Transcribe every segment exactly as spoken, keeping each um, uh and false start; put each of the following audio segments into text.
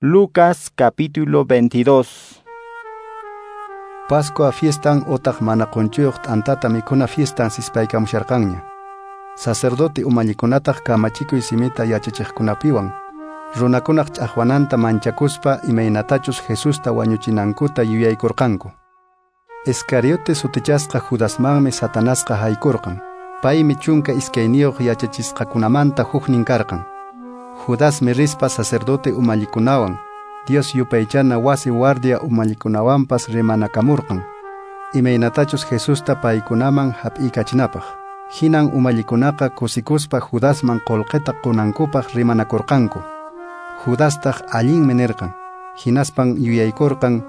Lucas capítulo veintidós. Pascua fiestan otaq mana qonchuyuq t'antata mikhuna fiestan sispaykamusharqanña. Sacerdote umallikunataq kamachikuy simita yachachiqkunapiwan runakunaq ch'aqwananta manchakuspa imaynatachus Jesusta wañuchinankuta yuyaykurqanku. Iscariote sutichasqa Judasmanmi Satanasqa haykurqan. Paymi chunka iskayniyuq yachachisqakunamanta huknin karqan. Judasmi rispa sacerdote umallikunawan, Dios yupaychana wasi guardia umallikunawanpas rimanakamurqan. Imaynatachus Jesusta paykunaman hap'iykachinapaq. Hinan umallikunaqa kusikuspa Judasman qullqita qunankupaq rimanakurqanku. Judastaq allinmi nirqan. Hinaspan yuyaykurqan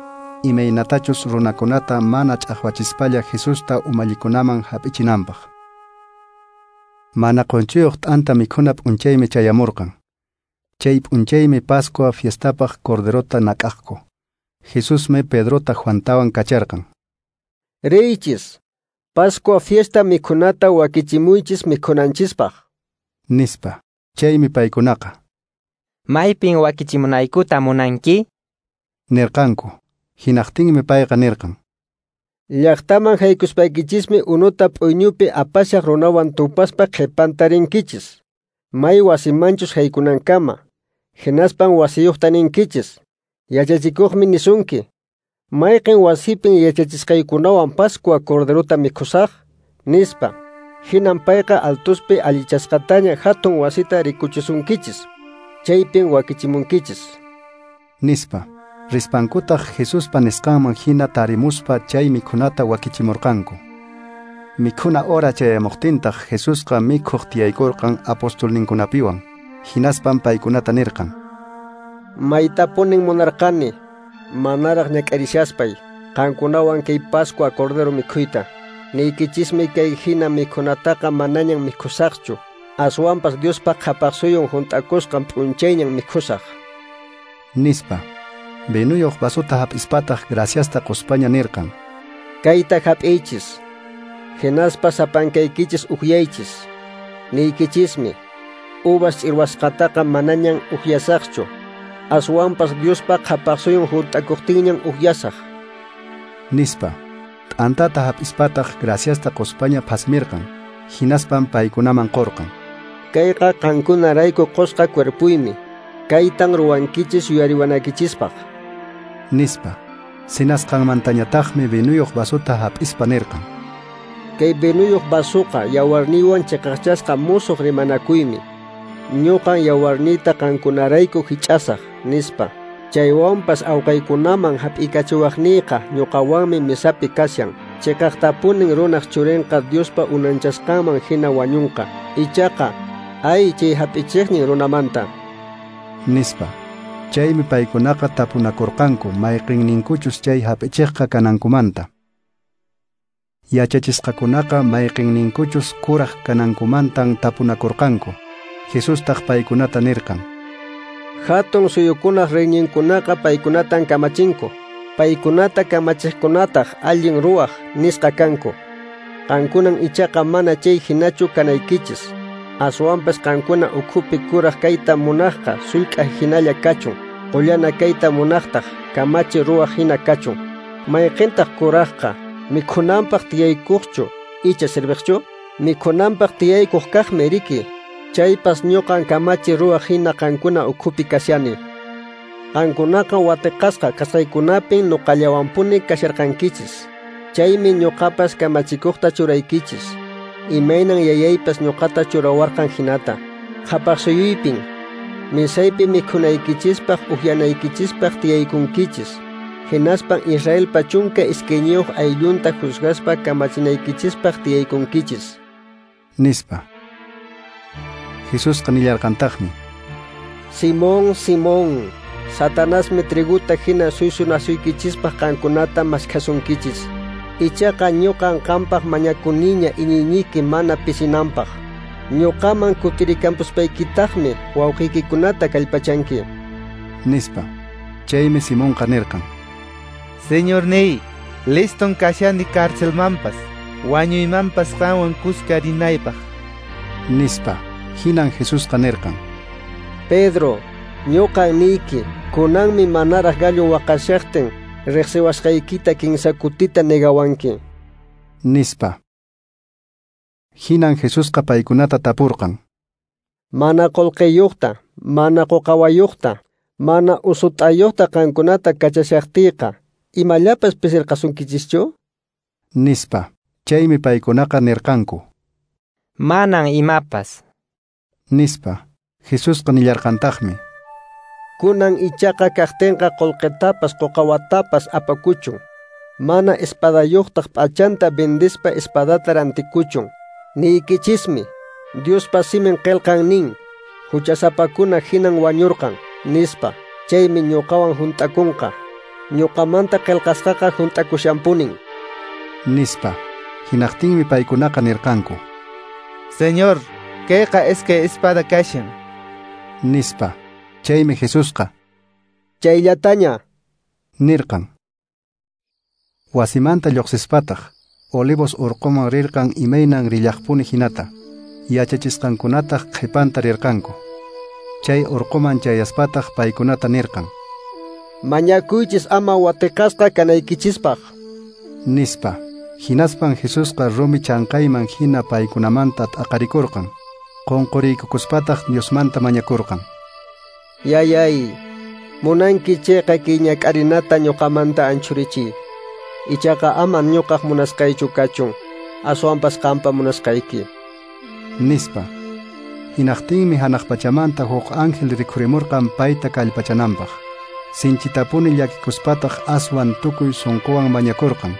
imaynatachus runakunata mana ch'aqwachispalla Jesusta umallikunaman hap'ichinanpaq. Mana qonchuyuq t'anta mikhuna p'unchaymi chayamurqan. Chay p'unchaymi Pascua fiestapaq corderota nak'aqku. Jesusmi Pedrota Juantawan kacharqan. Riychis, Pascua fiesta mikhunata wakichimuychis mikhunanchispaq, nispa. Chaymi paykunaqa Maypin wakichimunaykuta munanki? nirqanku. Hinaqtinmi payqa nirqan: Llaqtaman haykuspaykichismi unuta p'uyñupi apashaq runawan tupaspa qhipanta rinkichis. May wasimanchus haykunankama, hinaspan wasiyuqta ninkichis. Yachachikuqmi nisunki, mayqin wasipin yachachisqaykunawan Pascua corderota mikhusaq, nispa. Hinan payqa altuspi allichasqataña hatun wasita rikuchisunkichis. Chaypin wakichimunkichis, nispa. Rispankutaq Jesuspa nisqanman hina tarimuspa chay mikhunata wakichimurqanku. Mikhuna hora chayamuqtintaq Jesusqa mikhuq tiyaykurqan apostolninkunapiwan. Hinaspan paykunata nirqan: Maytapunin munarqani, manaraq ñak'arishaspay, qankunawan kay Pascua cordero mikhuyta. Niykichismi kay hina mikhunataqa manañan mikhusaqchu. Aswanpas Diospa qhapaqsuyun hunt'akusqan p'unchayñan mikhusaq, nispa. Vinuyuq vasota hap'ispataq graciasta quspaña nirqan: Kayta hap'iychis, hinaspa sapankaykichis ukyaychis. Niykichismi, uvas ch'irwasqataqa manañan ukyasaqchu. Aswanpas Diospa qhapaqsuyun hunt'akuqtinñan ukyasaq, nispa. T'antata hap'ispataq graciasta quspaña phasmirqan. Hinaspan paykunaman qurqan. Kayqa qankunarayku qusqa cuerpuymi. Kaytan ruwankichis yuyariwanaykichispaq, nispa. Sinasqanmantañataqmi vinuyuq vasota hap'ispa nirqan: Kay vinuyuq vasuqa yawarniywan chiqaqchasqa musuq rimanakuymi. Ñuqan yawarniyta qankunarayku hich'asaq, nispa. Chaywanpas awqaykunaman hap'ikachiwaqniyqa ñuqawanmi misapi kashan. Chiqaqtapunin runaq churinqa Diospa unanchasqanman hina wañunqa. Ichaqa, ay chay hap'ichiqnin runamanta, nispa. Chaymi paykunaqa tapunakurqanku mayqinninkuchus chay hap'ichiqqa kanankumanta. Yachachisqakunaqa mayqinninkuchus kuraq kanankumantan tapunakurqanku. Jesustaq paykunata nirqan: Hatun suyukunaq reyninkunaqa paykunatan kamachinku. Paykunata kamachiqkunataq allin ruwaq nisqa kanku. Qankunan ichaqa mana chay hinachu kanaykichis. Aswanpas qankuna ukhupi kuraq kayta munaqqa sullk'a hinalla kachun. Qullana kayta munaqtaq kamachi ruwaq hina kachun. Mayqintaq kuraqqa mikhunanpaq tiyaykuqchu icha serviqchu? Mikhunanpaq tiyaykuq kaqmi riki. Chaypas ñuqan kamachi ruwaq hina qankuna ukhupi kashani. Qankunaqa watiqasqa kasqaykunapin ñuqallawanpuni kasharqankichis. Chaymi ñuqapas kamachikuqta churaykichis. Imaynan yayaypas ñuqata churawarqan hinata. Qhapaqsuyuypin misaypi mikhunaykichispaq ukyanaykichispaq tiyaykunkichis. Hinaspan Israelpa chunka iskayniyuq ayllunta juzgaspa kamachinaykichispaq tiyaykunkichis, nispa. Jesusqa nillarqantaqmi: Simón, Simón, Satanasmi triguta hina suysunasuykichispaq qankunata maskhasunkichis. Ichaqa ñuqan qampaq mañakuniña iñiyniyki mana pisinanpaq. Ñuqaman kutirikampuspaykiktaqmi wawqiykikunata kallpachanki, nispa. Chaymi Simonqa nirqan: Señorniy, liston kashani carcelmanpas, wañuymanpas qanwan kuska rinaypaq, nispa. Hinan Jesusqa nirqan: Pedro, ñuqan niyki, Kunanmi manaraq gallo waqashaqtin riqsiwasqaykita kinsa kutita negawanki, nispa. Hinan Jesusqa paykunata tapurqan: Mana qullqiyuqta, mana quqawayuqta, mana usut'ayuqta qankunata kachashaqtiyqa, imallapas pisirqasunkichischu? Nispa. Chaymi paykunaqa nirqanku: Manan imapas, nispa. Jesusqa nillarqantaqmi: Kunan ichaqa kaqtinqa qullqitapas quqawatapas apakuchun. Mana espadayuqtaq p'achanta vendispa espadata rantikuchun. Niykichismi, Diospa simin qillqan nin, huchasapakuna hinan wañurqan, nispa. Chaymi ñuqawan hunt'akunqa. Ñuqamanta qillqasqaqa hunt'akushanpunin, nispa. Hinaqtinmi paykunaqa nirqanku: Señor, kayqa iskay espada kashan, nispa. Chaymi Jesusqa: Chayllataña, nirqan. Wasimanta lluqsispataq Olivos urquman rirqan imaynan rillaqpuni hinata. Yachachisqankunataq qhipanta rirqanku. Chay urquman chayaspataq paykunata nirqan: Mañakuychis ama watiqasqa kanaykichispaq, nispa. Hinaspan Jesusqa rumi chanqayman hina paykunamanta t'aqarikurqan. Qunquriykukuspataq Diosmanta mañakurqan: Yayay, munanki chayqa kay ñak'arinata ñuqamanta anchurichiy. Ichaqa ama ñuqaq munasqaychu kachun, aswanpas qampa munasqayki, nispa. Hinaqtinmi hanaq pachamanta huk ángel rikhurimurqan payta kallpachananpaq. Sinchitapuni llakikuspataq aswan tukuy sunquwan mañakurqan.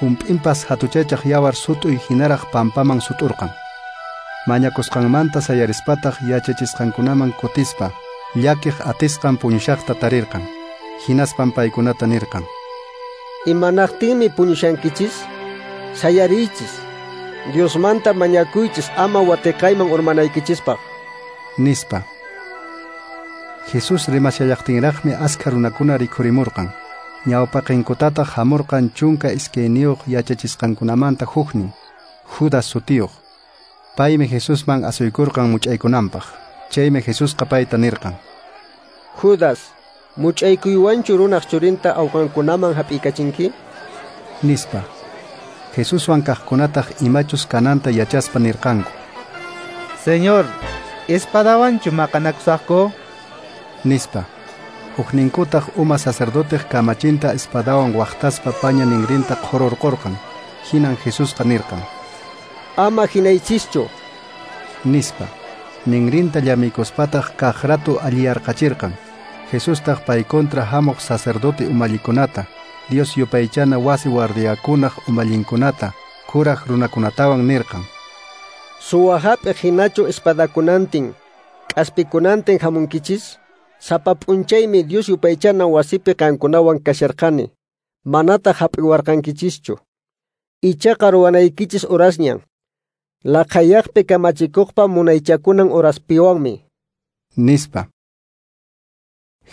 Hump'inpas hatuchachaq yawar sut'uy hinaraq pampaman sut'urqan. Mañakusqanmanta sayarispataq yachachisqankunaman kutispa llakiq atisqan puñushaqta tarirqan. Hinaspan paykunata nirqan: Imanaqtinmi puñushankichis? Sayariychis. Diosmanta mañakuychis ama watiqayman urmanaykichispaq, nispa. Jesús rimashallaqtinraqmi askha runakuna rikhurimurqan. Ñawpaqinkutataq hamurqan chunka iskayniyuq yachachisqankunamanta huknin, Judas sutiyuq. Paymi Jesusman asuykurqan much'aykunanpaq. Chaymi Jesusqa payta nirqan: Judas, much'aykuywanchu runaq churinta awqankunaman hap'iykachinki? Nispa. Jesuswan kaqkunataq imachus kananta yachaspa nirqanku: Señor, espadawanchu maqanakusaqku? Nispa. Hukninkutaq uma sacerdoteq kamachinta espadawan waqtaspa paña ninrinta qhururqurqan. Hinan Jesusqa nirqan: Ama hinaychischu, nispa. Ninrinta llamiykuspataq kaq ratu alliyarqachirqan. Jesustaq pay kontra hamuq sacerdote umallikunata, Dios yupaychana wasi guardiakunaq umallinkunata, kuraq runakunatawan nirqan: Suwa hap'iq hinachu espadakunantin, k'aspikunantin hamunkichis? Sapa p'unchaymi Dios yupaychana wasipi qankunawan kasharqani, manataq hap'iwarqankichischu. Ichaqa ruwanaykichis horasñan, laqhayaqpi kamachikuqpa munaychakunan horaspiwanmi, nispa.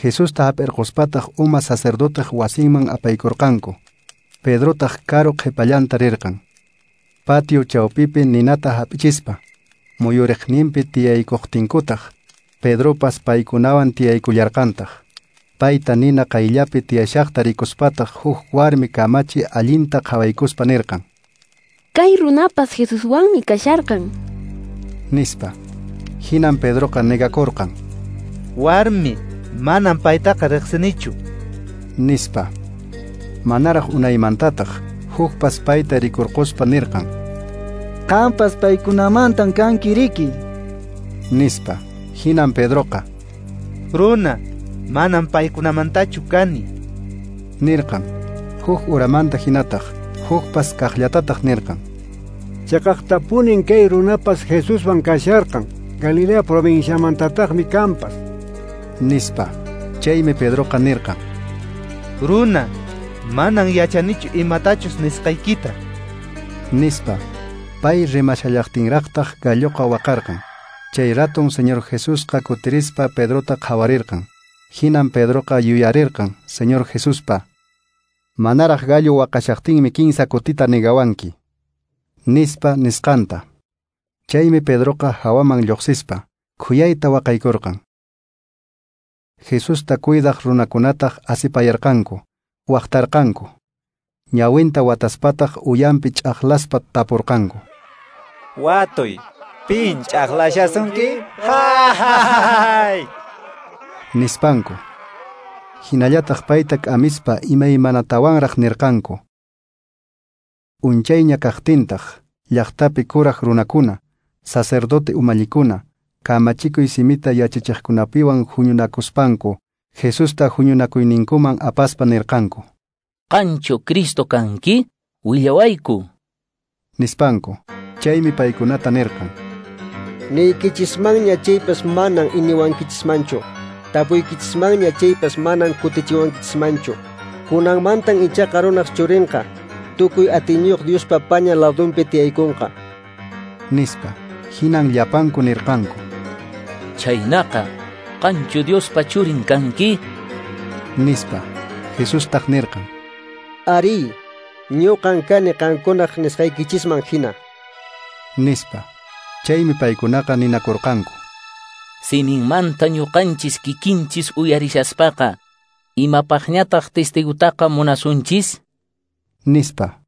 Jesusta hap'irquspataq uma sacerdoteq wasinman apaykurqanku. Pedrotaq karu qhipallanta rirqan. Patio chawpipi ninata hap'ichispa, muyuriqninpi tiyaykuqtinkutaq, Pedropas paykunawan tiyaykullarqantaq. Payta nina qayllapi tiyashaqta rikuspataq huk warmi kamachi allinta qhawaykuspa nirqan: Kay runapas Jesuswanmi kasharqan, nispa. Hinan Pedroqa negakurqan: Warmi, manam paytaqa riqsinichu, nispa. Manaraq unaymantataq hukpas payta rikurquspa nirqan: Qampas paykunamantan kanki riki, nispa. Hinan Pedroqa: Runa, manam paykunamantachu kani, nirqan. Huk uramanta hinataq hukpas kaqllatataq nirqan: Chaqaqtapunin kay runapas Jesuswan kasharqan, Galilea provinciamantataqmi kampas, nispa. Chaymi Pedroqa nirqan: Runa, manan yachanichu imatachus nisqaykita, nispa. Pay rimashallaqtinraqtaq galloqa waqarqan. Chay raton Señor Jesusqa kutirispa Pedrota qhawarirqan. Hinan Pedroqa yuyarirqan Señor Jesuspa: Manaraq gallo waqashaqtinmi kinsa kutita negawanki, nispa nisqanta. Chaymi Pedroqa hawaman lluqsispa khuyayta waqaykurqan. Jesusta cuidaq runakunataq asipayarqanku, waqtarqanku. Ñawinta wataspataq uyampi ch'aqlaspa tapurqanku. Watuy, pin ch'aqlashasunki? Ha ha ha! Nispanku. Hinallataq payta k'amispa imaymanatawanraq nirqanku. Unchayña kaqtintaq, llaqtapi kuraq runakuna, sacerdote umallikuna, kamachikuy simita yachachiqkunapiwan huñunakuspanku, Jesusta huñunakuyninkuman apaspa nirqanku. Qanchu Cristo kanki? Willawayku. Nispanku. Chaymi paykunata nirqan. Niykichismanña chaypas manan iniwankichismanchu. Tapuykichismanña chaypas manan kutichiwankichismanchu. Kunanmantan ichaqa runaq churinqa, tukuy atiyniyuq Diospa paña ladunpi tiyaykunqa. Nispa. Hinan llapanku nirqanku. Chaynaqa, qanchu Diospa churin kanki? Nispa. Jesustaq nirqan. Ari, ñuqan kani qankunaq nisqaykichisman hina. Nispa. Chaymi paykunaqa ninakurqanku. Siminmanta ñuqanchis kikinchis uyarishaspaqa, imapaqñataq testigutaqa munasunchis? Nispa.